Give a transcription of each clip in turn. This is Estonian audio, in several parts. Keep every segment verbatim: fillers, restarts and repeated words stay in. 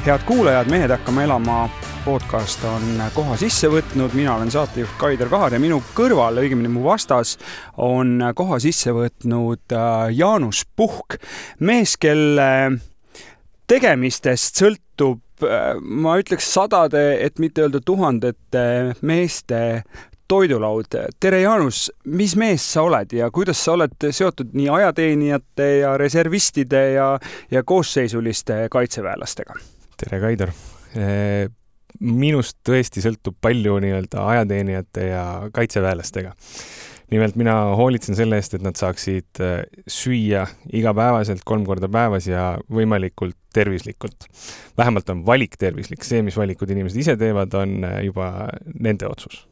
Head kuulajad, Mehed hakkama elama podcast on koha sisse võtnud. Mina olen saatejuht Kaider Kahar ja minu kõrval, õigemini mu vastas, on koha sisse võtnud Jaanus Puhk. Mees, kelle tegemistest sõltub, ma ütleks sadade, et mitte öelda tuhandete meeste toidulaud. Tere Jaanus, mis mees sa oled ja kuidas sa oled seotud nii ajateenijate ja reservistide ja, ja koosseisuliste kaitseväelastega? Tere Kaider. Minust tõesti sõltub palju nii-öelda ajateenijate ja kaitseväelastega. Nimelt mina hoolitsen selle eest, et nad saaksid süüa igapäevaselt kolm korda päevas ja võimalikult tervislikult. Vähemalt on valik tervislik. See, mis valikud inimesed ise teevad, on juba nende otsus.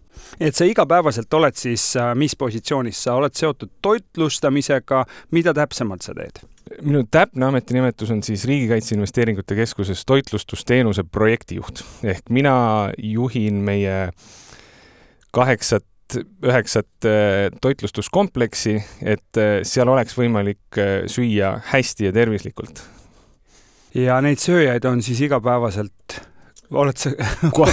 Et sa igapäevaselt oled siis mis positsioonis? Sa oled seotud toitlustamisega. Mida täpsemalt sa teed? Minu täpne ametinimetus on siis Riigikaitse Investeeringute Keskuses toitlustusteenuse projektijuht. Ehk mina juhin meie kaheksat, üheksat toitlustuskompleksi, et seal oleks võimalik süüa hästi ja tervislikult. Ja neid sööjaid on siis igapäevaselt... Oled sa... Ko-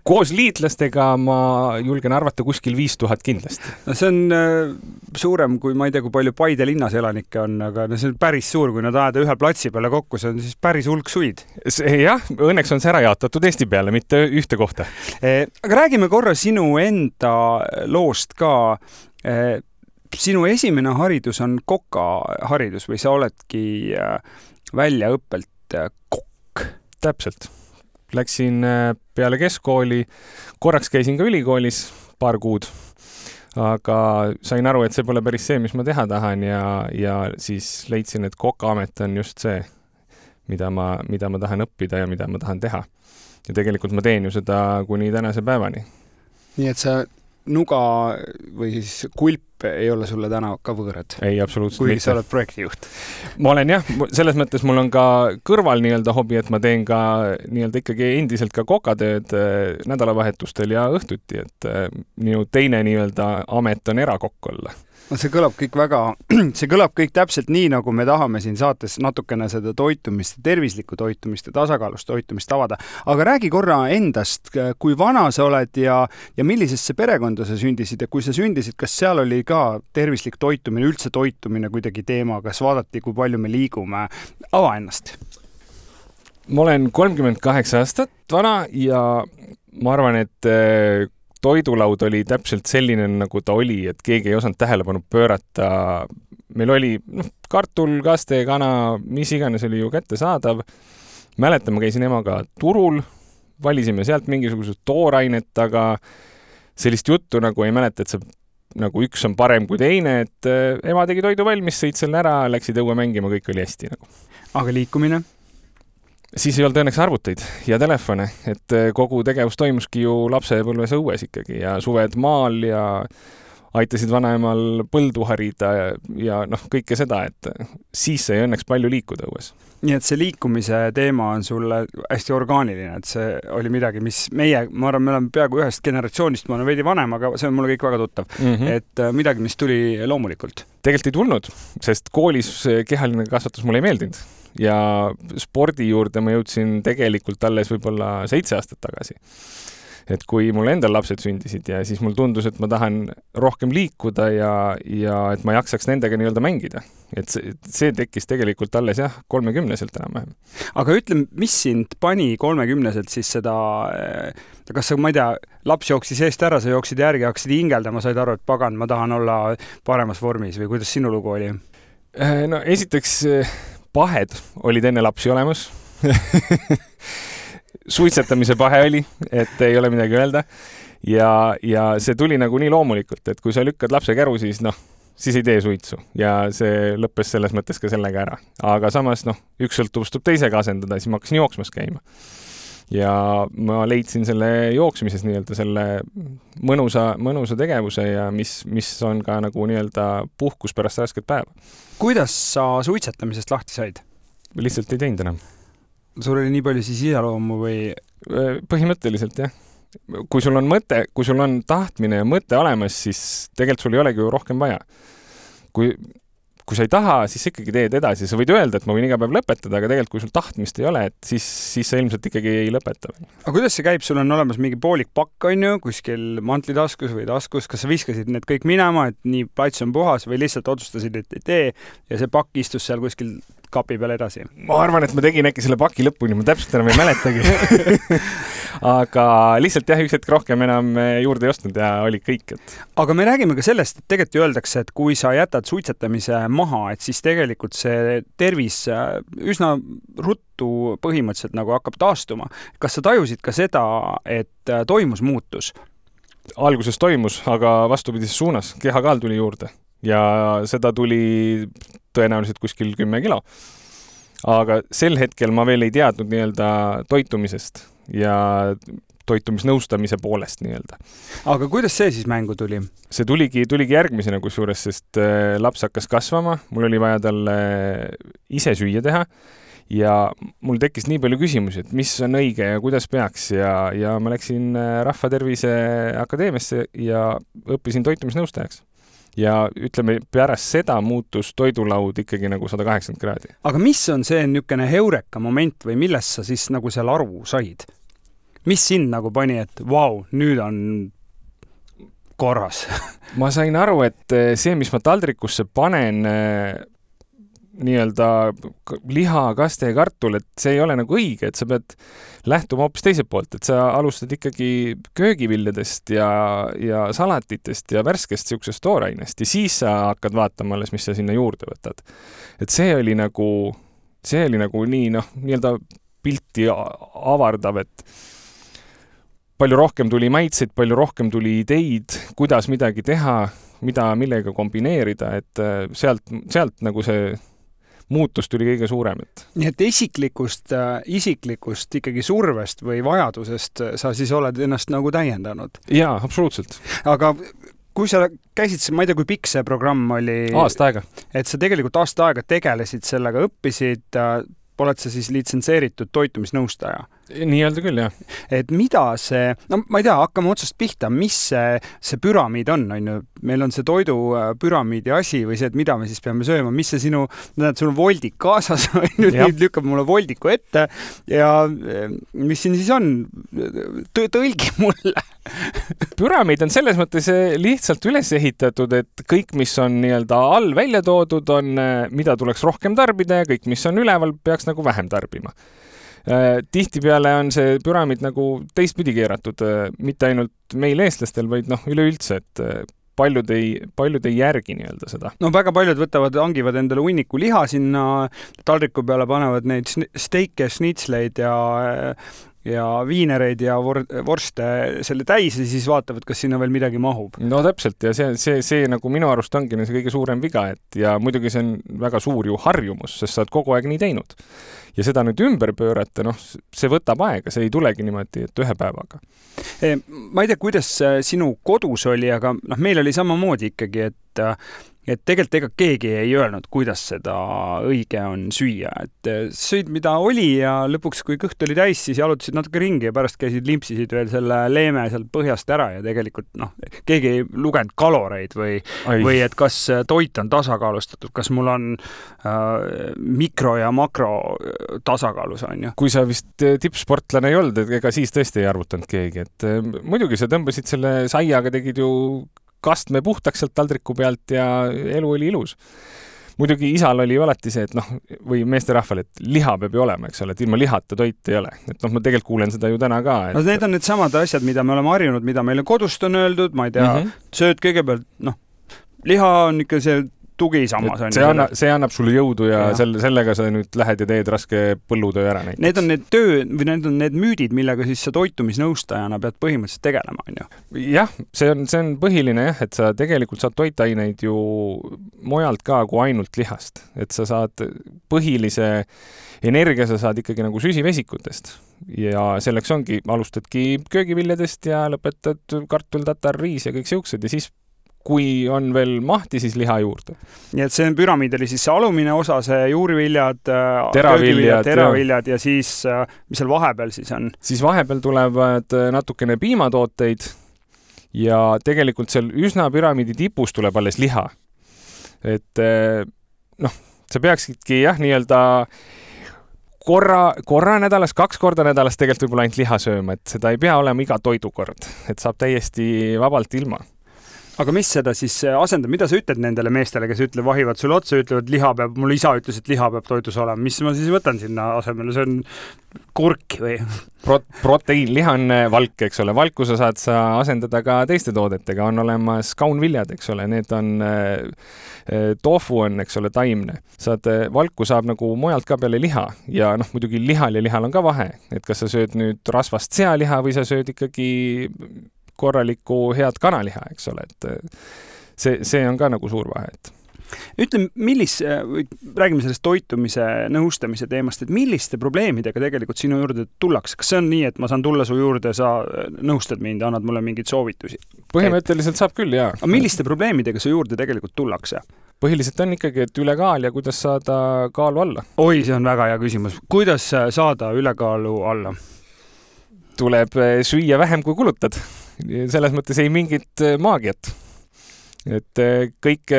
koos liitlastega ma julgen arvata kuskil viis tuhat kindlasti. No see on äh, suurem kui ma ei tea, kui palju Paide linnas elanikke on, aga no see on päris suur, kui nad ajada ühe platsi peale kokku, see on siis päris hulk suid. Jah, õnneks on see ära jaotatud Eesti peale, mitte ühte kohta. E, aga räägime korra sinu enda loost ka. E, sinu esimene haridus on koka haridus või sa oledki väljaõppelt kokk? Täpselt. Läksin peale keskkooli, korraks käisin ka ülikoolis paar kuud, aga sain aru, et see pole päris see, mis ma teha tahan ja, ja siis leidsin, et kokaamet on just see, mida ma, mida ma tahan õppida ja mida ma tahan teha. Ja tegelikult ma teen ju seda kuni tänase päevani. Nii et sa nuga või siis kulp ei ole sulle täna ka võõrad? Ei, absoluutselt kui mitte. Sa oled projektijuht? Ma olen jah, selles mõttes mul on ka kõrval nii-öelda hobi, et ma teen ka nii-öelda ikkagi endiselt ka kokatööd nädalavahetustel ja õhtuti, et minu teine nii-öelda amet on erakokk olla. No see kõlab kõik väga, see kõlab kõik täpselt nii, nagu me tahame siin saates natukene seda toitumist, tervislikku toitumist ja tasakaalust toitumist avada. Aga räägi korra endast, kui vana sa oled ja, ja millisesse perekonda sa sündisid ja kui sa sündisid, kas seal oli ka tervislik toitumine, üldse toitumine kuidagi teema, kas vaadati, kui palju me liigume? Ava ennast. Ma olen kolmkümmend kaheksa aastat vana ja ma arvan, et toidulaud oli täpselt selline, nagu ta oli, et keegi ei osanud tähelepanu pöörata. Meil oli noh, kartul, kaste, kana, mis iganes oli ju kättesaadav. Mäletan, ma käisin emaga turul, valisime sealt mingisugused toorainet, aga sellist juttu nagu ei mäleta, et see nagu üks on parem kui teine, et ema tegi toidu valmis, sõid selle ära, läksid õue mängima, kõik oli hästi. Nagu. Aga liikumine? Siis ei olnud õnneks arvuteid ja telefone, et kogu tegevus toimuski ju lapsepõlves õues ikkagi ja suved maal ja aitasid vanaemal põldu harida ja, ja noh, kõike seda, et siis sai õnneks palju liikuda õues. Nii et see liikumise teema on sulle hästi orgaaniline, et see oli midagi, mis meie, ma arvan, me oleme peaaegu ühest generatsioonist, ma olen veidi vanem, aga see on mulle kõik väga tuttav, mm-hmm. et midagi, mis tuli loomulikult. Tegelikult ei tulnud, sest koolis kehaline kasvatus mulle ei meeldinud. Ja spordi juurde ma jõudsin tegelikult alles võib-olla seitse aastat tagasi. Et kui mul endal lapsed sündisid ja siis mul tundus, et ma tahan rohkem liikuda ja, ja et ma jaksaks nendega nii-öelda mängida. Et see, see tekkis tegelikult alles jah, kolmekümneselt enam-vähem. Aga ütle, mis sind pani kolmekümneselt siis seda, kas sa, ma ei tea, laps jooksis eest ära, sa jooksid järgi, hakkasid hingeldama, said aru, et pagan, ma tahan olla paremas vormis või kuidas sinu lugu oli? No esiteks pahed olid enne lapsi olemas. Suitsetamise pahe oli, et ei ole midagi öelda. Ja, ja see tuli nagu nii loomulikult, et kui sa lükkad lapse käru, siis noh, siis ei tee suitsu. Ja see lõppes selles mõttes ka sellega ära. Aga samas noh, üks sõltuvustub teisega asendada, siis ma hakkasin jooksmas käima. Ja ma leidsin selle jooksmises nii-öelda selle mõnusa, mõnusa tegevuse ja mis, mis on ka nagu nii-öelda puhkus pärast rasket päeva. Kuidas sa suitsetamisest lahti said? Lihtsalt ei teinud enam. Sul oli nii palju siis iseloomu või? Põhimõtteliselt, jah. Kui sul on mõte, kui sul on tahtmine ja mõte olemas, siis tegelikult sul ei olegi ju rohkem vaja. Kui kui sa ei taha, siis ikkagi teed edasi. Sa võid öelda, et ma võin iga päev lõpetada, aga tegelikult kui sul tahtmist ei ole, et siis, siis sa ilmselt ikkagi ei lõpeta. Aga kuidas see käib? Sul on olemas mingi poolik pakk, on ju, kuskil mantlitaskus või taskus. Kas sa viskasid need kõik minema, et nii plats on puhas või lihtsalt otsustasid, et ei tee ja see pakk istus seal kuskil kapi peal edasi? Ma arvan, et ma tegin äkki selle paki lõpuni, ma täpselt enam ei mäletagi. Aga lihtsalt jah, üks hetk rohkem enam juurde ei ostnud ja oli kõik. Et... Aga me räägime ka sellest, et tegelikult ju öeldakse, et kui sa jätad suitsetamise maha, et siis tegelikult see tervis üsna ruttu põhimõtteliselt nagu hakkab taastuma. Kas sa tajusid ka seda, et toimus muutus? Alguses toimus, aga vastupidises suunas. Kehakaal tuli juurde ja seda tuli tõenäoliselt kuskil kümme kilo. Aga sel hetkel ma veel ei teadnud nii-öelda toitumisest ja toitumisnõustamise poolest nii-öelda. Aga kuidas see siis mängu tuli? See tuligi, tuligi järgmisena kusjuures, sest laps hakkas kasvama, mul oli vaja talle ise süüa teha ja mul tekkis nii palju küsimusi, et mis on õige ja kuidas peaks ja, ja ma läksin Rahvatervise Akadeemiasse ja õppisin toitumisnõustajaks. Ja ütleme, pärast seda muutus toidulaud ikkagi nagu sada kaheksakümmend kraadi. Aga mis on see niisugune heureka moment või millest sa siis nagu seal aru said? Mis sind nagu pani, et vau, nüüd on korras? Ma sain aru, et see, mis ma taldrikusse panen, nii-öelda liha, kaste ja kartul, et see ei ole nagu õige, et sa pead lähtuma hoopis teiselt poolt, et sa alustad ikkagi köögiviljadest ja, ja salatitest ja värskest siuksest toorainest ja siis sa hakkad vaatama alles, mis sa sinna juurde võtad. Et see oli nagu, see oli nagu nii, noh, nii-öelda pilti avardav, et palju rohkem tuli maitseid, palju rohkem tuli ideid, kuidas midagi teha, mida, millega kombineerida, et sealt, sealt nagu see muutus tuli kõige suurem. Et... Nii et isiklikust, isiklikust ikkagi survest või vajadusest sa siis oled ennast nagu täiendanud? Jaa, absoluutselt. Aga kui sa käisid, ma ei tea, kui pikk see programm oli? Aasta aega. Et sa tegelikult aasta aega tegelesid sellega, õppisid, oled sa siis litsenseeritud toitumisnõustaja? Nii öelda küll, jah. Et mida see, no ma ei tea, hakkame otsast pihta, mis see, see püramiid on, on ju? Meil on see toidu püramiidi asi või see, et mida me siis peame sööma, mis see sinu, näed, sul on voldik kaasas, nüüd, nüüd lükkab mulle voldiku ette ja mis siin siis on? Tõlgi mulle. Püramiid on selles mõttes lihtsalt üles ehitatud, et kõik, mis on nii-öelda all välja toodud, on, mida tuleks rohkem tarbida ja kõik, mis on üleval, peaks nagu vähem tarbima. Tihtipeale on see püramiid nagu teistpidi keeratud, mitte ainult meil eestlastel, vaid noh, üleüldse, et paljud ei, paljud ei järgi nii-öelda seda. No väga paljud võtavad, hangivad endale hunniku liha sinna taldriku peale, panevad neid steike, snitsleid ja ja viinereid ja vorste selle täis ja siis vaatavad, kas sinna veel midagi mahub. No täpselt ja see, see, see nagu minu arust ongi see kõige suurem viga, et ja muidugi see on väga suur ju harjumus, sest sa oled kogu aeg nii teinud. Ja seda nüüd ümber pöörata, noh, see võtab aega, see ei tulegi niimoodi, et ühe päevaga. Ma ei tea, kuidas sinu kodus oli, aga noh, meil oli samamoodi ikkagi, et et tegelikult ega keegi ei öelnud, kuidas seda õige on süüa. Et sõid, mida oli ja lõpuks, kui kõht oli täis, siis jalutasid natuke ringi ja pärast käisid limpsisid veel selle leeme sealt põhjast ära ja tegelikult noh, keegi ei lugenud kaloreid või, või et kas toit on tasakaalustatud, kas mul on äh, mikro ja makro tasakaalus on ju. Kui sa vist tippsportlane ei olnud, et ega siis tõesti ei arvutanud keegi, et muidugi sa tõmbasid selle saiaga, tegid ju kastme puhtaks sealt taldriku pealt ja elu oli ilus. Muidugi isal oli alati see, et noh, või meesterahval, et liha peab ju olema, eks ole, et ilma lihata toit ei ole. Et noh, ma tegelikult kuulen seda ju täna ka. Et... No need on need samad asjad, mida me oleme harjunud, mida meile kodust on öeldud, ma ei tea, mm -hmm. sööd kõigepealt, noh, liha on ikka see tugi samas. See, anna, see annab sulle jõudu ja, ja. Selle, sellega sa nüüd lähed ja teed raske põllutöö ära näiteks. Need on need töö või need on need müüdid, millega siis sa toitumisnõustajana pead põhimõtteliselt tegelema, on ju? Jah, see on, see on põhiline jah, et sa tegelikult saad toitaineid ju mujalt ka kui ainult lihast. Et sa saad põhilise energia, sa saad ikkagi nagu süsivesikutest ja selleks ongi, alustadki köögiviljadest ja lõpetad kartul, tatar, riis ja kõik siuksed ja siis kui on veel mahti, siis liha juurde. Nii et see püramiid oli siis see alumine osa, see juuriviljad, teraviljad, teraviljad ja siis, mis seal vahepeal siis on? Siis vahepeal tulevad natukene piimatooteid ja tegelikult seal üsna püramiidi tipus tuleb alles liha. Et noh, sa peaksidki jah, nii-öelda korra, korra nädalas, kaks korda nädalas tegelikult võib-olla ainult liha sööma, et seda ei pea olema iga toidukord, et saab täiesti vabalt ilma. Aga mis seda siis asendab, mida sa ütled nendele meestele, kes ütlevad, vahivad sulle otsa, ütlevad, liha peab, mul isa ütles, et liha peab toidus olema. Mis ma siis võtan sinna asemele? See on kurk või? Pro proteiin, liha on valk, eks ole. Valku sa saad sa asendada ka teiste toodetega. On olemas kaunviljad, eks ole. Need on, tofu on, eks ole, taimne. Saad, valku saab nagu mujalt ka peale liha. Ja noh, muidugi lihal ja lihal on ka vahe. Et kas sa sööd nüüd rasvast sealiha või sa sööd ikkagi korralikku head kanaliha, eks ole, et see, see on ka nagu suur vahe, et ütle, millis, räägime sellest toitumise nõustamise teemast, et milliste probleemidega tegelikult sinu juurde tullakse? Kas see on nii, et ma saan tulla su juurde, sa nõustad mind ja annad mulle mingeid soovitusi? Põhimõtteliselt saab küll, jaa. Aga milliste probleemidega su juurde tegelikult tullakse? Põhiliselt on ikkagi, et ülekaal ja kuidas saada kaalu alla. Oi, see on väga hea küsimus. Kuidas saada ülekaalu alla? Tuleb süüa vähem, kui kulutad. Selles mõttes ei mingit maagiat. Et kõik,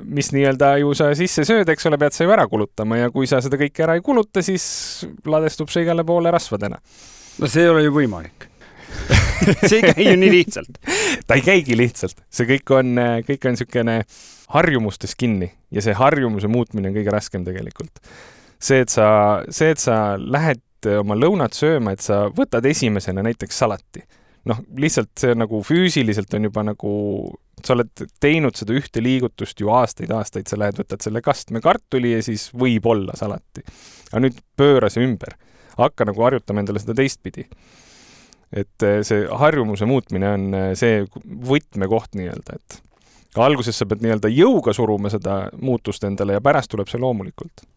mis nii-öelda ju sa sisse sööd, eks ole, pead sa ju ära kulutama ja kui sa seda kõike ära ei kuluta, siis ladestub see igale poole rasvadena. No see ei ole ju võimalik. See ei käi ju nii lihtsalt. Ta ei käigi lihtsalt. See kõik on, kõik on sükene harjumustes kinni ja see harjumuse muutmine on kõige raskem tegelikult. See, et sa, see, et sa lähed oma lõunat sööma, et sa võtad esimesena näiteks salati. Noh, lihtsalt see nagu füüsiliselt on juba nagu, sa oled teinud seda ühte liigutust ju aastaid, aastaid, sa lähed, võtad selle kastme kartuli ja siis võib olla salati. Aga nüüd pööra see ümber. Hakka nagu harjutama endale seda teistpidi. Et see harjumuse muutmine on see võtmekoht nii-öelda, et alguses sa pead nii-öelda jõuga suruma seda muutust endale ja pärast tuleb see loomulikult.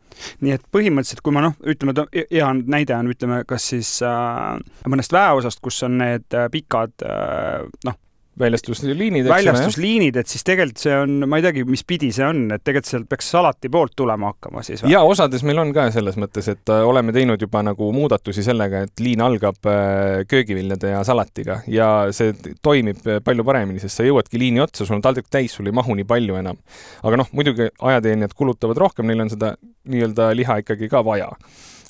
Nii et põhimõtteliselt, kui ma noh, ütleme, hea näide on, ütleme, kas siis äh, mõnest väeosast, kus on need äh, pikad äh, noh, väljastusliinid, väljastusliinid, et siis tegelikult see on, ma ei teagi, mis pidi see on, et tegelikult sealt peaks salati poolt tulema hakkama siis. Ja osades meil on ka selles mõttes, et oleme teinud juba nagu muudatusi sellega, et liin algab köögiviljade ja salatiga ja see toimib palju paremini, sest sa jõuadki liini otsa, sul on taldrik täis, sul ei mahu nii palju enam. Aga noh, muidugi ajateenijad kulutavad rohkem, neil on seda nii-öelda liha ikkagi ka vaja.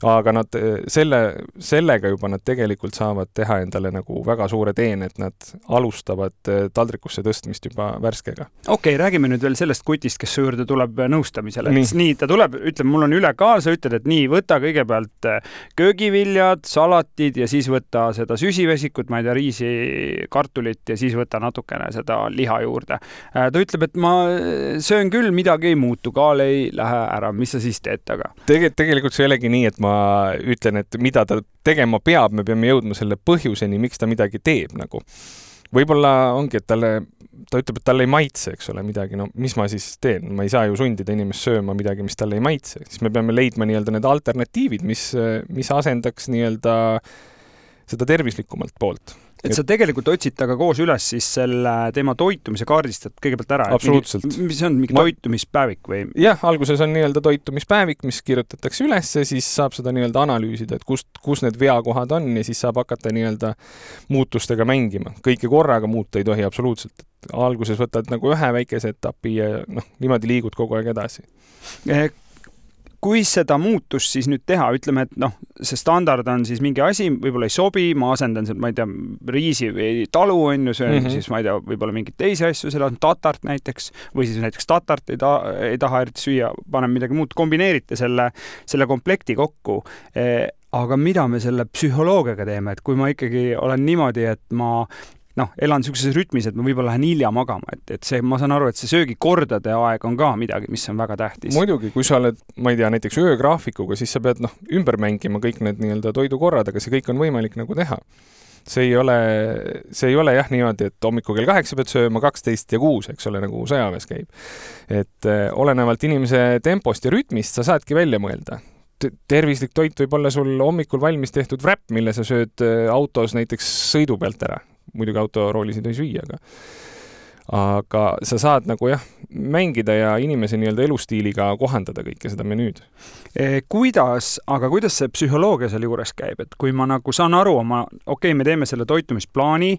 Aga nad selle, sellega juba nad tegelikult saavad teha endale nagu väga suure teen, et nad alustavad taldrikusse tõstmist juba värskega. Okei, okay, räägime nüüd veel sellest kutist, kes su juurde tuleb nõustamisele. Nii. nii, ta tuleb, ütleb, mul on ülekaal, sa ütled, et nii, võta kõigepealt köögiviljad, salatid ja siis võta seda süsivesikut, ma ei tea, riisi, kartulit ja siis võta natukene seda liha juurde. Ta ütleb, et ma söön küll, midagi ei muutu, kaal ei lähe ära, mis sa siis teed taga? Tege, tegelikult see ei olegi nii, et ma ütlen, et mida ta tegema peab, me peame jõudma selle põhjuseni, miks ta midagi teeb nagu. Võib-olla ongi, et talle, ta ütleb, et talle ei maitse, eks ole, midagi, no mis ma siis teen? Ma ei saa ju sundida inimest sööma midagi, mis talle ei maitse. Siis me peame leidma nii-öelda need alternatiivid, mis, mis asendaks nii-öelda seda tervislikumalt poolt. Et sa tegelikult otsid taga koos üles siis selle tema toitumise kaardistad kõigepealt ära. Absoluutselt. Mingi, mis on mingi Ma... toitumispäevik või? Jah, alguses on nii-öelda toitumispäevik, mis kirjutatakse üles ja siis saab seda nii-öelda analüüsida, et kust, kus need veakohad on ja siis saab hakata nii-öelda muutustega mängima. Kõike korraga muuta ei tohi absoluutselt. Alguses võtad nagu ühe väikese etapi ja noh, niimoodi liigud kogu aeg edasi. Kui seda muutust siis nüüd teha, ütleme, et noh, see standard on siis mingi asi, võib-olla ei sobi, ma asendan seal, ma ei tea, riisi või talu on ju, söön mm -hmm. siis ma ei tea, võib-olla mingit teisi asju, seal on tatart näiteks, või siis näiteks tatart ei, ta, ei taha eriti süüa, panen midagi muud, kombineerite selle, selle komplekti kokku. Aga mida me selle psühholoogiaga teeme, et kui ma ikkagi olen niimoodi, et ma noh, elan niisuguses rütmis, et ma võib-olla lähen hilja magama, et, et see, ma saan aru, et see söögikordade aeg on ka midagi, mis on väga tähtis. Muidugi, kui sa oled, ma ei tea, näiteks öögraafikuga, siis sa pead noh, ümber mängima kõik need nii-öelda toidukorrad, aga see kõik on võimalik nagu teha. See ei ole, see ei ole jah niimoodi, et hommikul kell kaheksa pead sööma kaksteist ja kuus, eks ole, nagu sõjaväes käib. Et eh, olenevalt inimese tempost ja rütmist sa saadki välja mõelda. Tervislik toit võib olla sul hommikul valmis tehtud wrap, mille sa sööd autos näiteks sõidu pealt ära. Muidugi autoroolis ei tohi süüa, aga aga sa saad nagu jah, mängida ja inimese nii-öelda elustiiliga kohandada kõike seda menüüd. E, kuidas, aga kuidas see psühholoogia seal juures käib? Et kui ma nagu saan aru, oma, okei, okay, me teeme selle toitumisplaani,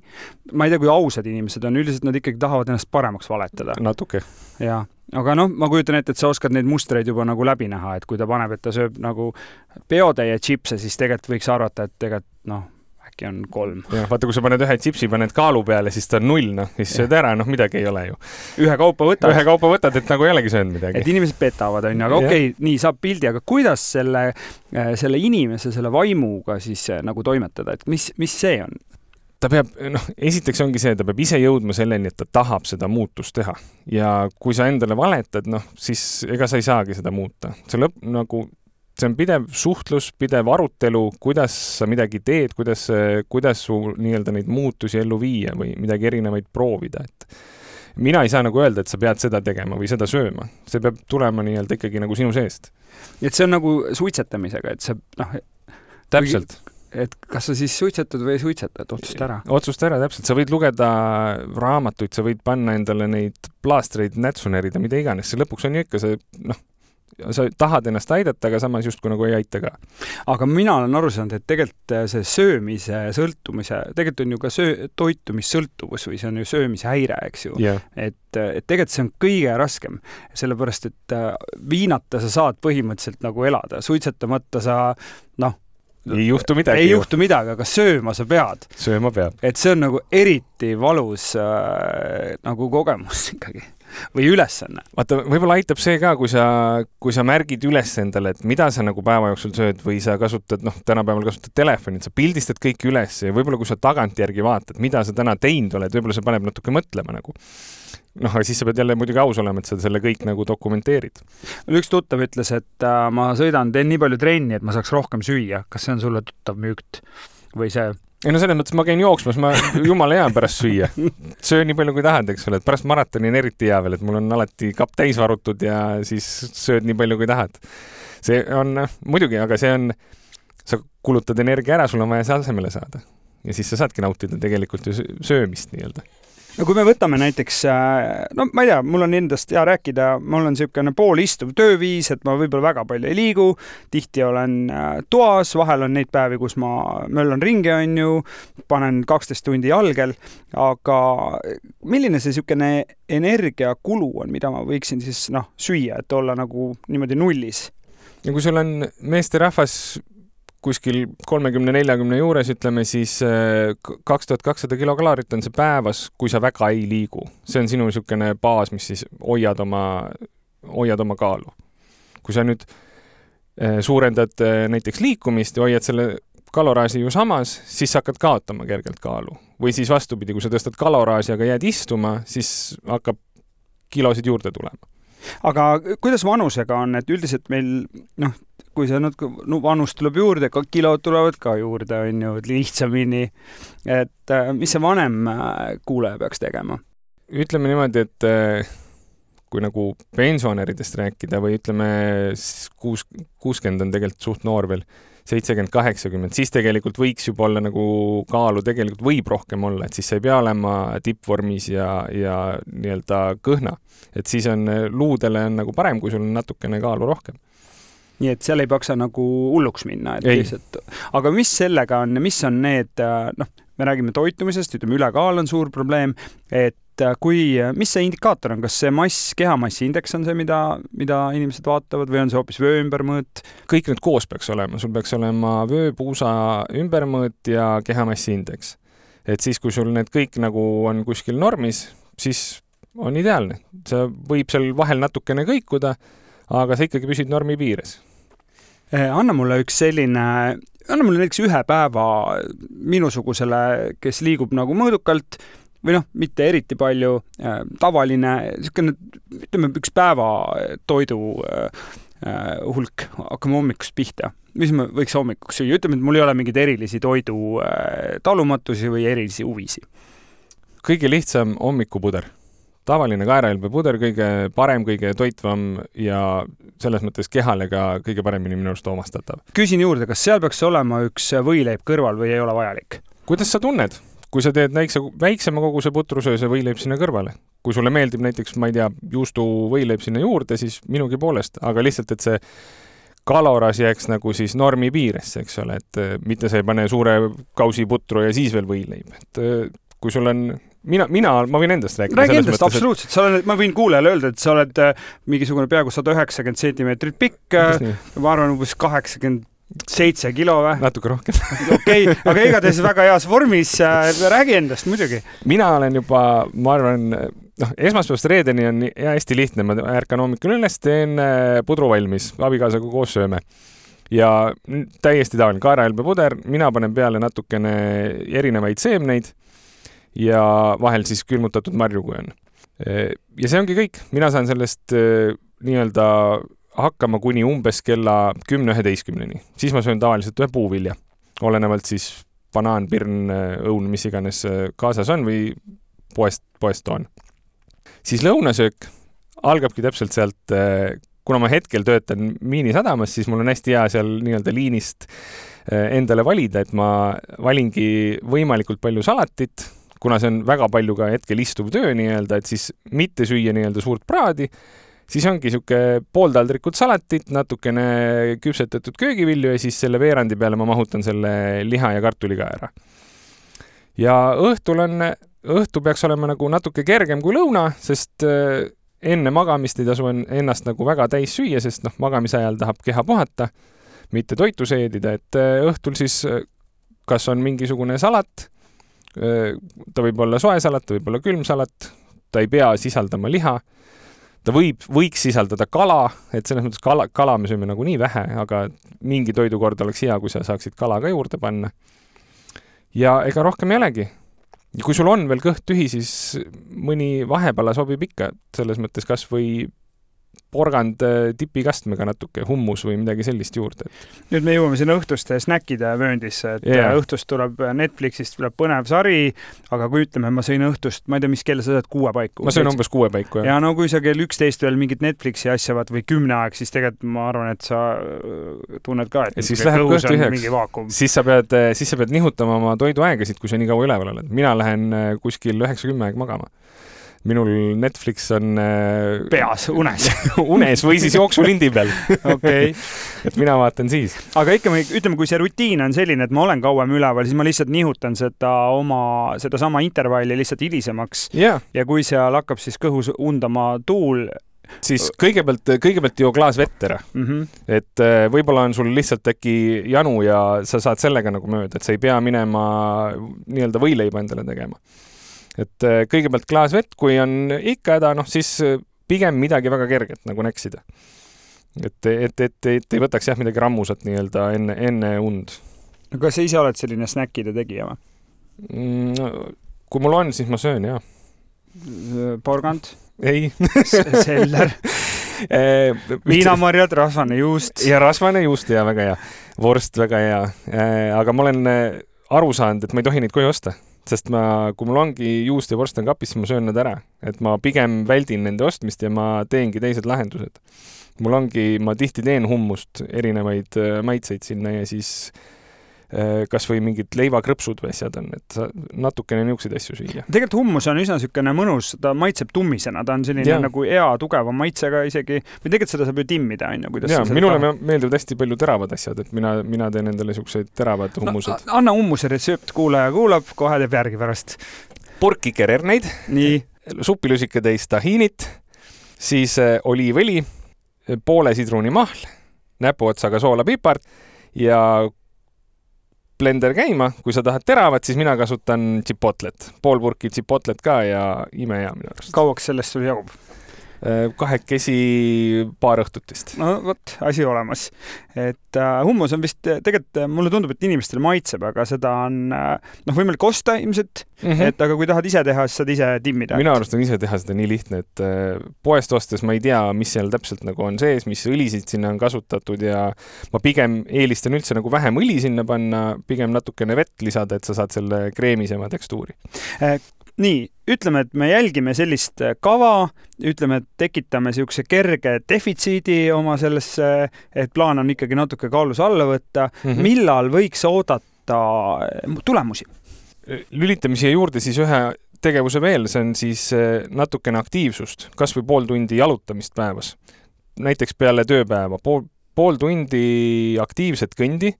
ma ei tea, kui ausad inimesed on, üldiselt nad ikkagi tahavad ennast paremaks valetada. Natuke. Ja, aga noh, ma kujutan ette, et sa oskad neid mustreid juba nagu läbi näha, et kui ta paneb, et ta sööb nagu peotäie chipse, siis tegelikult võiks arvata, et tegelikult noh, äkki on kolm. Ja, vaata, kui sa paned ühe chipsi, paned kaalu peale, siis ta on null, noh, siis sööd ära, noh, midagi ei ole ju. Ühe kaupa võtad. Ühe kaupa võtad, et nagu ei olegi söönud midagi. Et inimesed petavad, on ju, aga okei, okay, nii saab pildi, aga kuidas selle, selle inimese, selle vaimuga siis nagu toimetada, et mis, mis see on? Ta peab, noh, esiteks ongi see, ta peab ise jõudma selleni, et ta tahab seda muutust teha. Ja kui sa endale valetad, noh, siis ega sa ei saagi seda muuta. See lõpp, nagu, see on pidev suhtlus, pidev arutelu, kuidas sa midagi teed, kuidas, kuidas su nii-öelda neid muutusi ellu viia või midagi erinevaid proovida. Et mina ei saa nagu öelda, et sa pead seda tegema või seda sööma. See peab tulema nii-öelda ikkagi nagu sinu seest. Et see on nagu suitsetamisega, et see, noh, täpselt. Et kas sa siis suitsetad või ei suitsetad, otsusta ära? Otsusta ära, täpselt. Sa võid lugeda raamatuid, sa võid panna endale neid plaastreid, nätsunerida, mida iganes. See lõpuks on ju ikka see, noh, sa tahad ennast aidata, aga samas just kui nagu ei aita ka. Aga mina olen aru saanud, et tegelikult see söömise sõltumise, tegelikult on ju ka söö, toitumissõltuvus või see on ju söömise häire, eks ju. Yeah. Et, et tegelikult see on kõige raskem, sellepärast, et viinata sa saad põhimõtteliselt nagu elada. Suitsetamata sa, noh, ei juhtu midagi. Ei juhtu midagi, aga sööma sa pead. Sööma peab. Et see on nagu eriti valus äh, nagu kogemus ikkagi. Või ülesanne. Vaata, võib-olla aitab see ka, kui sa, kui sa märgid üles endale, et mida sa nagu päeva jooksul sööd või sa kasutad, noh, tänapäeval kasutad telefonit, sa pildistad kõik üles ja võib-olla kui sa tagantjärgi vaatad, mida sa täna teinud oled, võib-olla see paneb natuke mõtlema nagu. Noh, aga siis sa pead jälle muidugi aus olema, et sa selle kõik nagu dokumenteerid. Üks tuttav ütles, et äh, ma sõidan, teen nii palju trenni, et ma saaks rohkem süüa. Kas see on sulle tuttav müükt? Või see... Ei no selles mõttes, ma käin jooksmas, ma jumala hea pärast süüa. Söö nii palju kui tahad, eks ole, et pärast maratoni on eriti hea veel, et mul on alati kapp täis varutud ja siis sööd nii palju kui tahad. See on muidugi, aga see on, sa kulutad energia ära, sul on vaja see asemele saada. Ja siis sa saadki nautida tegelikult ju söömist nii-öelda. No kui me võtame näiteks, no ma ei tea, mul on endast hea rääkida, mul on niisugune poolistuv tööviis, et ma võib-olla väga palju ei liigu, tihti olen toas, vahel on neid päevi, kus ma möllan ringi, on ju, panen kaksteist tundi jalgel, aga milline see niisugune energiakulu on, mida ma võiksin siis noh, süüa, et olla nagu niimoodi nullis? Ja kui sul on meesterahvas kuskil kolmekümne neljakümne juures, ütleme siis kaks tuhat kakssada kilokaloorit on see päevas, kui sa väga ei liigu. See on sinu niisugune baas, mis siis hoiad oma, hoiad oma kaalu. Kui sa nüüd suurendad näiteks liikumist ja hoiad selle kaloraasi ju samas, siis sa hakkad kaotama kergelt kaalu. Või siis vastupidi, kui sa tõstad kaloraasi, aga jääd istuma, siis hakkab kilosid juurde tulema. Aga kuidas vanusega on, et üldiselt meil, noh, kui see nüüd no, vanus tuleb juurde, ka kilod tulevad ka juurde, on ju, lihtsamini, et mis see vanem kuulaja peaks tegema? Ütleme niimoodi, et kui nagu pensionäridest rääkida või ütleme kuus, kuuskümmend on tegelikult suht noor veel, seitsekümmend, kaheksakümmend, siis tegelikult võiks juba olla nagu kaalu, tegelikult võib rohkem olla, et siis sa ei pea olema tippvormis ja, ja nii-öelda kõhna. Et siis on luudele on nagu parem, kui sul on natukene kaalu rohkem. Nii et seal ei paksa nagu hulluks minna. Et lihtsalt... Aga mis sellega on, mis on need, noh, me räägime toitumisest, ütleme ülekaal on suur probleem, et kui, mis see indikaator on, kas see mass, kehamassi indeks on see, mida, mida inimesed vaatavad või on see hoopis vöö ümbermõõt? Kõik need koos peaks olema, sul peaks olema vöö, puusa ümbermõõt ja kehamassi indeks. Et siis, kui sul need kõik nagu on kuskil normis, siis on ideaalne. See võib seal vahel natukene kõikuda, aga sa ikkagi püsid normi piires. Anna mulle üks selline, anna mulle näiteks ühe päeva minusugusele, kes liigub nagu mõõdukalt või noh, mitte eriti palju, tavaline, niisugune, ütleme, üks päeva toidu hulk, hakkame hommikust pihta. Mis me võiks hommikuks süüa? Ütleme, et mul ei ole mingeid erilisi toidu talumatusi või erilisi huvisi. Kõige lihtsam hommikupuder. Tavaline kaerailbepuder, kõige parem, kõige toitvam ja selles mõttes kehale ka kõige paremini minu arust omastatav. Küsin juurde, kas seal peaks olema üks võileib kõrval või ei ole vajalik? Kuidas sa tunned? Kui sa teed väikse, väiksema koguse putrusöö, see võileib sinna kõrvale. Kui sulle meeldib näiteks, ma ei tea, juustu võileib sinna juurde, siis minugi poolest, aga lihtsalt, et see kaloras jääks nagu siis normi piiresse, eks ole, et mitte sa ei pane suure kausi putru ja siis veel võileib. Et kui sul on mina, mina, ma võin endast rääkida. Räägi endast, mõttes, absoluutselt. Sa oled, ma võin kuulajale öelda, et sa oled mingisugune peaaegu sada üheksakümmend sentimeetrit pikk, ma arvan, umbes kaheksakümmend seitse kilo või? Natuke rohkem. Okei, okay, aga igatahes väga heas vormis. Räägi endast muidugi. Mina olen juba, ma arvan, noh, esmaspäevast reedeni on hästi lihtne. Ma ärkan hommikul üles, teen pudru valmis, abikaasaga koos sööme. Ja täiesti tavaline kaerahelbe puder, mina panen peale natukene erinevaid seemneid ja vahel siis külmutatud marju, kui on. Ja see ongi kõik. Mina saan sellest nii-öelda hakkama kuni umbes kella kümne üheteistkümneni. Siis ma söön tavaliselt ühe puuvilja. Olenevalt siis banaan, pirn, õun, mis iganes kaasas on või poest, poest toon. Siis lõunasöök algabki täpselt sealt, kuna ma hetkel töötan Miinisadamas, siis mul on hästi hea seal nii-öelda liinist endale valida, et ma valingi võimalikult palju salatit, kuna see on väga palju ka hetkel istuv töö nii-öelda, et siis mitte süüa nii-öelda suurt praadi, siis ongi siuke pooltaldrikud salatit, natukene küpsetatud köögivilju ja siis selle veerandi peale ma mahutan selle liha ja kartuliga ära. Ja õhtul on, õhtu peaks olema nagu natuke kergem kui lõuna, sest enne magamist ei tasu ennast nagu väga täis süüa, sest noh, magamise ajal tahab keha puhata, mitte toitu seedida, et õhtul siis kas on mingisugune salat, ta võib olla soe salat, ta võib olla külm salat, ta ei pea sisaldama liha, ta võib, võiks sisaldada kala, et selles mõttes kala, kala me sööme nagu nii vähe, aga mingi toidukord oleks hea, kui sa saaksid kala ka juurde panna. Ja ega rohkem ei olegi. Ja kui sul on veel kõht tühi, siis mõni vahepala sobib ikka, selles mõttes kas või porgand tipikastmega natuke, hummus või midagi sellist juurde. Nüüd me jõuame sinna õhtuste snäkkide vööndisse, et yeah. õhtust tuleb Netflixist tuleb põnev sari, aga kui ütleme, ma sõin õhtust, ma ei tea, mis kell sa saad, kuue paiku? Ma sõin umbes kuue paiku, jah. Ja no kui sa kell üksteist veel mingit Netflixi asja vaat või kümne aeg, siis tegelikult ma arvan, et sa tunned ka, et siis läheb kõht üheks. Siis sa pead, siis sa pead nihutama oma toiduaegasid, kui sa nii kaua üleval oled. Mina lähen kuskil üheksakümmend aeg magama. Minul Netflix on peas, unes unes või siis jooksulindi peal. Okay. Et mina vaatan siis. Aga ikka, ütleme, kui see rutiin on selline, et ma olen kauem üleval, siis ma lihtsalt nihutan seda oma, seda sama intervalli lihtsalt hilisemaks. Yeah. Ja kui seal hakkab siis kõhus undama tuul, siis kõigepealt, kõigepealt joo klaas vett ära. Mm-hmm. Et võib-olla on sul lihtsalt äkki janu ja sa saad sellega nagu mööda, et sa ei pea minema nii-öelda võileiba endale tegema. Et kõigepealt klaas vett, kui on ikka häda, noh siis pigem midagi väga kerget nagu näksida. Et, et, et, et ei võtaks jah midagi rammusat nii-öelda enne, enne und. Kas sa ise oled selline snäkkide tegija või? Mm, kui mul on, siis ma söön, jah. Porgand? Ei. Seller? Viinamarjad, rasvane juust. Ja rasvane juust, ja väga hea. Vorst väga hea. Aga ma olen aru saanud, et ma ei tohi neid koju osta. Sest ma, kui mul ongi juust ja vorst on kapis, siis ma söön nad ära. Et ma pigem väldin nende ostmist ja ma teengi teised lahendused. Mul ongi, ma tihti teen hummust, erinevaid maitseid sinna ja siis kas või mingid leivakrõpsud või asjad on, et natukene niukseid asju süüa. Tegelikult hummus on üsna sükene mõnus, ta maitseb tummisena, ta on selline ja. Nagu hea, tugeva maitsega isegi, või tegelikult seda saab ju timmida, on ju, kuidas ja, minule ta... meeldivad hästi palju teravad asjad, et mina, mina teen endale siukseid teravad hummused. No, anna hummuse retsept, kuulaja kuulab, kohe teeb järgi pärast. Purki kererneid, supilusikatäis tahiinit, siis oliivõli, poole sidrunimahl, näpuotsaga soola pipart ja blender käima, kui sa tahad teravat, siis mina kasutan chipotlet. Pool purki chipotlet ka ja ime hea minu arust. Kauaks sellest sul jagub? Kahekesi paar õhtutist. No võt, asi olemas. Et uh, hummus on vist, tegelikult mulle tundub, et inimestele maitseb, aga seda on uh, noh, võimalik osta ilmselt, mm-hmm. et aga kui tahad ise teha, siis saad ise timmida. Mina arust on ise teha seda nii lihtne, et uh, poest ostes ma ei tea, mis seal täpselt nagu on sees, mis õlisid sinna on kasutatud ja ma pigem eelistan üldse nagu vähem õli sinna panna, pigem natukene vett lisada, et sa saad selle kreemisema tekstuuri. Eh, Nii, ütleme, et me jälgime sellist kava, ütleme, et tekitame siukse kerge defitsiidi oma sellesse, et plaan on ikkagi natuke kaalus alla võtta. Mm-hmm. Millal võiks oodata tulemusi? Lülitamise juurde siis ühe tegevuse veel, see on siis natukene aktiivsust, kas või pool tundi jalutamist päevas. Näiteks peale tööpäeva, pool, pool tundi aktiivset kõndi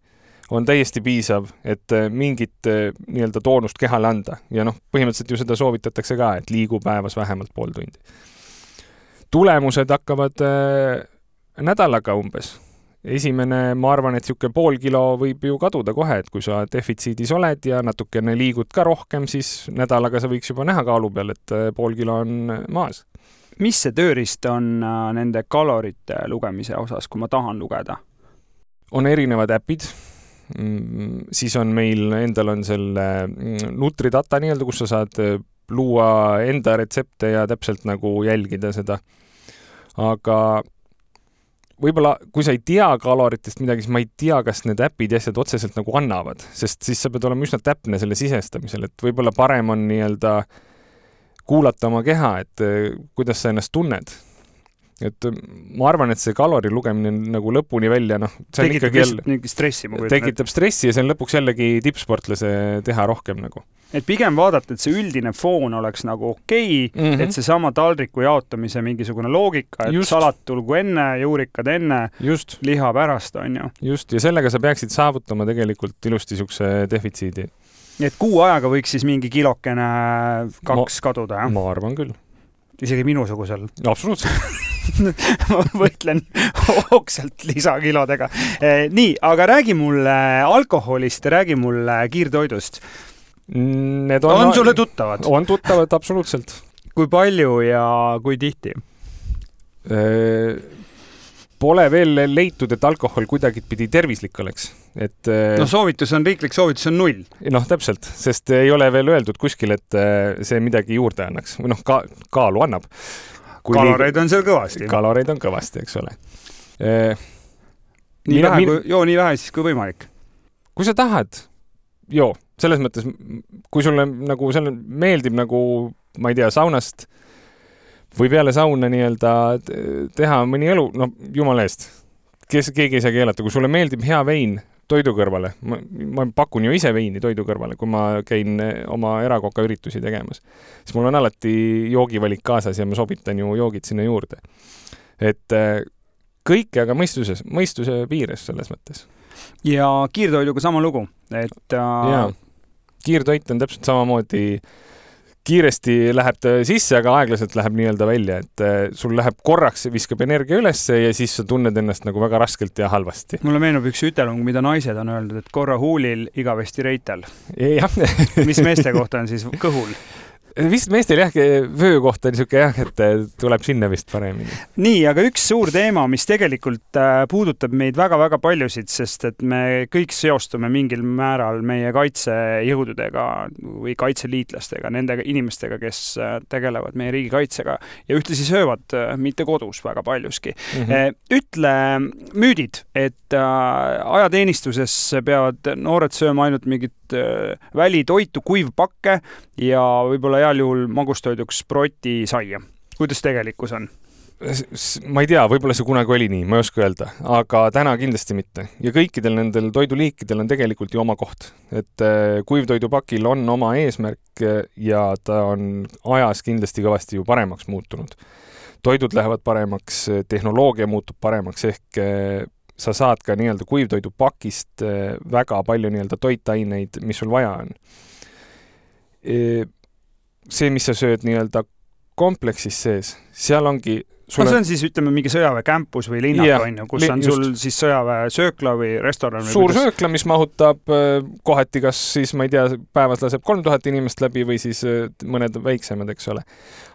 on täiesti piisav, et mingit nii-öelda toonust kehale anda. Ja noh, põhimõtteliselt ju seda soovitatakse ka, et liigu päevas vähemalt pool tundi. Tulemused hakkavad nädalaga umbes. Esimene, ma arvan, et siuke pool kilo võib ju kaduda kohe, et kui sa defitsiidis oled ja natukene liigud ka rohkem, siis nädalaga sa võiks juba näha kaalu peal, et pool kilo on maas. Mis see tööriist on nende kalorite lugemise osas, kui ma tahan lugeda? On erinevad äpid. Siis on meil, endal on selle Nutridata nii-öelda, kus sa saad luua enda retsepte ja täpselt nagu jälgida seda. Aga võib-olla, kui sa ei tea kaloritest midagi, siis ma ei tea, kas need äpid ja asjad otseselt nagu annavad, sest siis sa pead olema üsna täpne selle sisestamisel, et võib-olla parem on nii-öelda kuulata oma keha, et kuidas sa ennast tunned. Et ma arvan, et see kalori lugemine nagu lõpuni välja, noh, see on tekitab ikkagi jälle, stressi, tekitab stressi ja see on lõpuks jällegi tippsportlase teha rohkem nagu. Et pigem vaadata, et see üldine foon oleks nagu okei, okay, mm-hmm. et see sama taldriku jaotamise mingisugune loogika, et Just. salat tulgu enne, juurikad enne, Just. liha pärast on ju. Just, ja sellega sa peaksid saavutama tegelikult ilusti sukse defitsiidi. Et kuu ajaga võiks siis mingi kilokene kaks ma, kaduda, jah? Ma arvan küll. Isegi minusugusel. Absoluutselt. ma võitlen ookselt lisakilodega. Nii, aga räägi mulle alkoholist, räägi mulle kiirtoidust. Need on, on sulle tuttavad? On tuttavad, absoluutselt. Kui palju ja kui tihti? Pole veel leitud, et alkohol kuidagi pidi tervislik oleks. Et, no soovitus on, riiklik soovitus on null. Noh, täpselt, sest ei ole veel öeldud kuskil, et see midagi juurde annaks. Või noh, ka, kaalu annab. Kui kaloreid liig... on seal kõvasti. Kaloreid on kõvasti, eks ole. Nii mina, vähe, min... kui, joo nii vähe siis kui võimalik. Kui sa tahad, joo. Selles mõttes, kui sulle nagu selle meeldib nagu, ma ei tea, saunast või peale sauna nii-öelda teha mõni elu, no jumala eest, kes, keegi ei saa keelata, kui sulle meeldib hea vein toidu kõrvale, ma, ma pakun ju ise veini toidu kõrvale, kui ma käin oma erakoka üritusi tegemas, siis mul on alati joogivalik kaasas ja ma sobitan ju joogid sinna juurde. Et kõike, aga mõistuses, mõistuse piires selles mõttes. Ja kiirtoiduga sama lugu, et Jaa. Kiirtoit on täpselt samamoodi, kiiresti läheb ta sisse, aga aeglaselt läheb nii-öelda välja, et sul läheb korraks, viskab energia ülesse ja siis sa tunned ennast nagu väga raskelt ja halvasti. Mulle meenub üks ütelung, mida naised on öeldud, et korra huulil, igavesti reitel. Mis meeste kohta on siis kõhul? Vist meestel jah, vöö kohta on niisugune jah, et tuleb sinna vist paremini. Nii, aga üks suur teema, mis tegelikult puudutab meid väga-väga paljusid, sest et me kõik seostume mingil määral meie kaitsejõududega või kaitseliitlastega, nende inimestega, kes tegelevad meie riigi kaitsega ja ühtlasi söövad mitte kodus väga paljuski. Mm-hmm. Ütle müüdid, et ajateenistuses peavad noored sööma ainult mingit välitoitu, kuivpakke ja võib-olla heal juhul magustoiduks sproti saia. Kuidas tegelikkus on? Ma ei tea, võib-olla see kunagi oli nii, ma ei oska öelda, aga täna kindlasti mitte. Ja kõikidel nendel toiduliikidel on tegelikult ju oma koht. Et kuivtoidupakil on oma eesmärk ja ta on ajas kindlasti kõvasti ju paremaks muutunud. Toidud lähevad paremaks, tehnoloogia muutub paremaks, ehk sa saad ka nii-öelda kuivtoidupakist väga palju nii-öelda toitaineid, mis sul vaja on. See, mis sa sööd nii-öelda kompleksis sees, seal ongi... Sulle... No see on siis, ütleme, mingi sõjaväekämpus või linnak, ja, on ju, kus on sul just. Siis sõjaväe söökla või restoran? Või suur kuidas... söökla, mis mahutab kohati, kas siis, ma ei tea, päevas laseb kolm tuhat inimest läbi või siis mõned väiksemad, eks ole.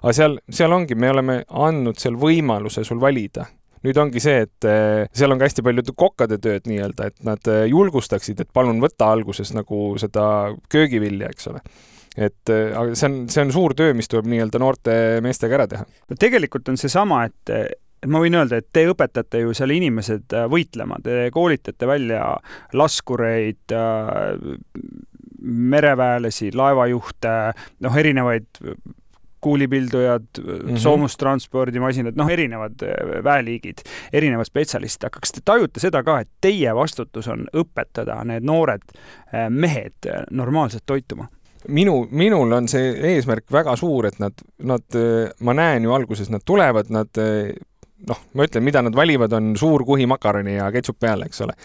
Aga seal, seal ongi, me oleme andnud seal võimaluse sul valida. Nüüd ongi see, et seal on ka hästi palju kokkade tööd nii-öelda, et nad julgustaksid, et palun võtta alguses nagu seda köögivilja, eks ole. Et see on, see on suur töö, mis tuleb nii-öelda noorte meestega ära teha. Tegelikult on see sama, et, et ma võin öelda, et te õpetate ju seal inimesed võitlema, te koolitate välja laskureid, mereväelasi, laevajuhte, noh, erinevaid kuulipildujad, mm-hmm. soomustranspordimasinad, noh, erinevad väeliigid, erinevad spetsialistid. Aga kas te tajute seda ka, et teie vastutus on õpetada need noored mehed normaalselt toituma? Minu, minul on see eesmärk väga suur, et nad, nad, ma näen ju alguses, nad tulevad, nad, noh, ma ütlen, mida nad valivad, on suur kuhi makaroni ja ketšup peale, eks ole.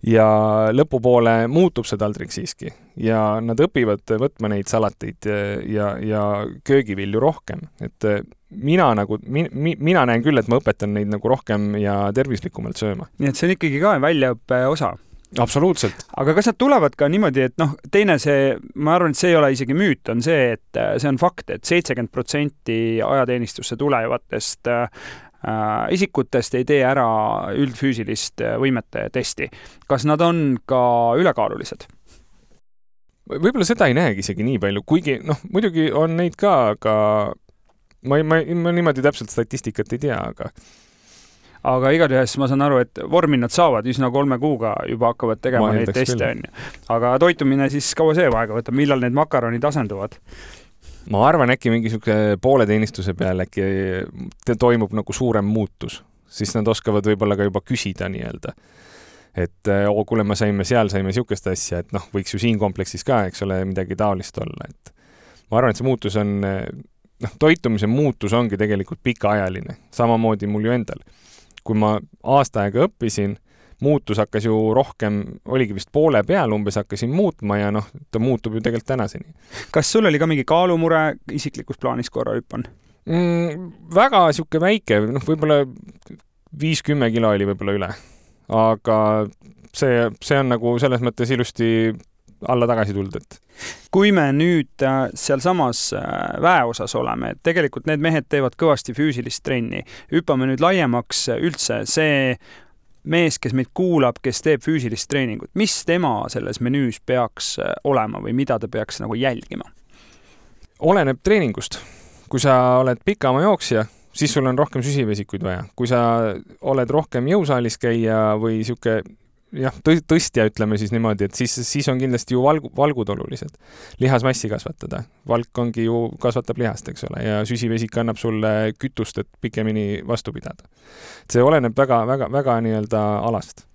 ja lõpupoole muutub see taldrik siiski ja nad õpivad võtma neid salateid ja, ja köögivilju rohkem. Et mina nagu, mi, mina näen küll, et ma õpetan neid nagu rohkem ja tervislikumalt sööma. Nii et see on ikkagi ka väljaõppe osa. Absoluutselt. Aga kas nad tulevad ka niimoodi, et noh, teine see, ma arvan, et see ei ole isegi müüt, on see, et see on fakt, et seitsekümmend protsenti ajateenistusse tulevatest äh, isikutest ei tee ära üldfüüsilist võimete testi. Kas nad on ka ülekaalulised? Võib-olla seda ei näegi isegi nii palju, kuigi noh, muidugi on neid ka, aga ma, ma, ma niimoodi täpselt statistikat ei tea, aga aga igatahes ma saan aru, et vormi nad saavad üsna kolme kuuga juba hakkavad tegema ma neid teste. Aga toitumine siis kaua see aega võtab, millal need makaronid asenduvad? Ma arvan, äkki mingi poole teenistuse peal äkki toimub nagu suurem muutus. Siis nad oskavad võib-olla ka juba küsida nii-öelda. Et oo, kuule, ma saime seal, saime siukest asja, et noh, võiks ju siin kompleksis ka, eks ole, midagi taolist olla. Et ma arvan, et see muutus on, noh, toitumise muutus ongi tegelikult pikaajaline. Samamoodi mul ju endal. Kui ma aasta aega õppisin, muutus hakkas ju rohkem, oligi vist poole peal, umbes hakkasin muutma ja noh, ta muutub ju tegelikult tänaseni. Kas sul oli ka mingi kaalumure isiklikus plaanis korra hüppan? Mm, väga siuke väike, noh, võib-olla viiskümmend kilo oli võib-olla üle. Aga see, see on nagu selles mõttes ilusti alla tagasi tulnud. Et. Kui me nüüd seal samas väeosas oleme, et tegelikult need mehed teevad kõvasti füüsilist trenni. Hüppame nüüd laiemaks üldse see mees, kes meid kuulab, kes teeb füüsilist treeningut. Mis tema selles menüüs peaks olema või mida ta peaks nagu jälgima? Oleneb treeningust. Kui sa oled pikama jooksja, siis sul on rohkem süsivesikuid vaja. Kui sa oled rohkem jõusaalis käia või siuke jah, tõstja, ütleme siis niimoodi, et siis, siis on kindlasti ju valgu, valgud olulised. Lihasmassi kasvatada. Valk ongi ju, kasvatab lihast, eks ole, ja süsivesik annab sulle kütust, et pikemini vastu pidada. See oleneb väga, väga, väga nii-öelda alast.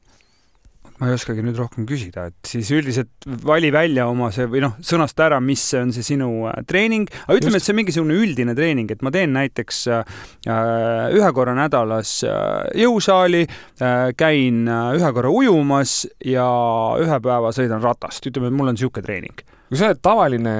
Ma ei oskagi nüüd rohkem küsida, et siis üldiselt vali välja oma see või noh, sõnasta ära, mis on see sinu treening. Aga ütleme, Just. et see on mingisugune üldine treening, et ma teen näiteks äh, ühe korra nädalas jõusaali, äh, käin ühe korra ujumas ja ühe päeva sõidan ratast. Ütleme, et mul on siuke treening. Kui sa oled tavaline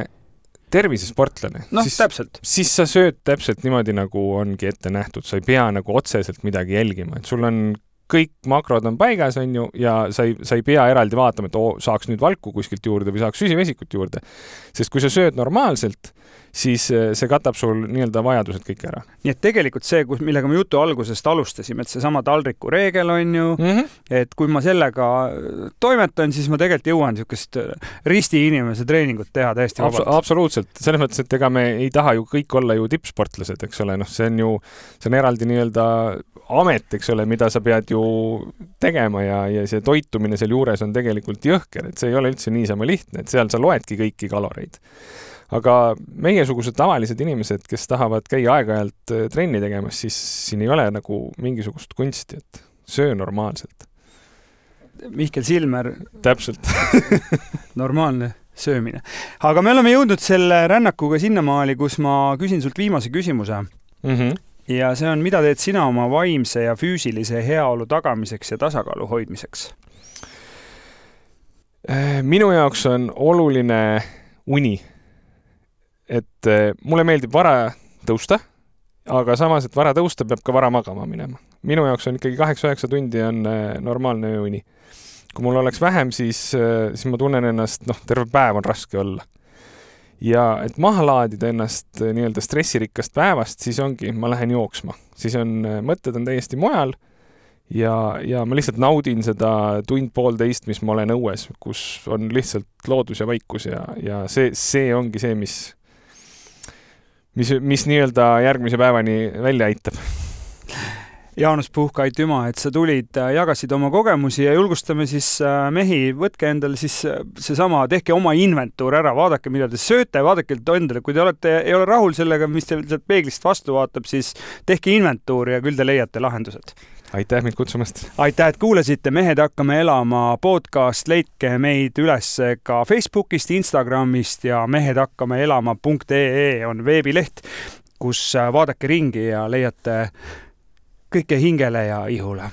tervisesportlane, no, siis, täpselt. siis sa sööd täpselt niimoodi, nagu ongi ette nähtud. Sa ei pea nagu otseselt midagi jälgima, et sul on kõik makrod on paigas, on ju, ja sa ei, sa ei pea eraldi vaatama, et oo, saaks nüüd valku kuskilt juurde või saaks süsivesikut juurde. Sest kui sa sööd normaalselt, siis see katab sul nii-öelda vajadused kõik ära. Nii et tegelikult see, millega me jutu algusest alustasime, et see sama taldriku reegel on ju, mm-hmm. et kui ma sellega toimetan, siis ma tegelikult jõuan niisugust risti inimese treeningut teha täiesti vabalt. Abs- absoluutselt. Selles mõttes, et ega me ei taha ju kõik olla ju tippsportlased, eks ole, noh, see on ju, see on eraldi nii-öelda amet, eks ole, mida sa pead ju tegema ja, ja see toitumine seal juures on tegelikult jõhker, et see ei ole üldse niisama lihtne, et seal sa loedki kõiki kaloreid. Aga meiesugused tavalised inimesed, kes tahavad käia aeg-ajalt trenni tegemas, siis siin ei ole nagu mingisugust kunsti, et söö normaalselt. Mihkel Silmer. Täpselt. Normaalne söömine. Aga me oleme jõudnud selle rännakuga sinnamaali, kus ma küsin sult viimase küsimuse. Mhm. Ja see on, mida teed sina oma vaimse ja füüsilise heaolu tagamiseks ja tasakaalu hoidmiseks? Minu jaoks on oluline uni. Et mulle meeldib vara tõusta, aga samas, et vara tõusta peab ka vara magama minema. Minu jaoks on ikkagi kaheksa üheksa tundi on normaalne uni. Kui mul oleks vähem, siis, siis ma tunnen ennast, noh, terve päev on raske olla. Ja et maha laadida ennast nii-öelda stressirikkast päevast, siis ongi, ma lähen jooksma. Siis on, mõtted on täiesti mujal ja, ja ma lihtsalt naudin seda tund pool teist, mis ma olen õues, kus on lihtsalt loodus ja vaikus ja, ja see, see ongi see, mis, mis, mis nii-öelda järgmise päevani välja aitab. Jaanus Puhk, aitüma, et sa tulid, jagasid oma kogemusi ja julgustame siis mehi, võtke endale siis seesama, tehke oma inventuur ära, vaadake, mida te sööte, vaadake endale, kui te olete, ei ole rahul sellega, mis te peeglist vastu vaatab, siis tehke inventuur ja küll te leiate lahendused. Aitäh mind kutsumast. Aitäh, et kuulasite Mehed hakkame elama podcast, leidke meid üles ka Facebookist, Instagramist ja mehed hakkame elama punkt ee on veebileht, kus vaadake ringi ja leiate kõike hingele ja ihule.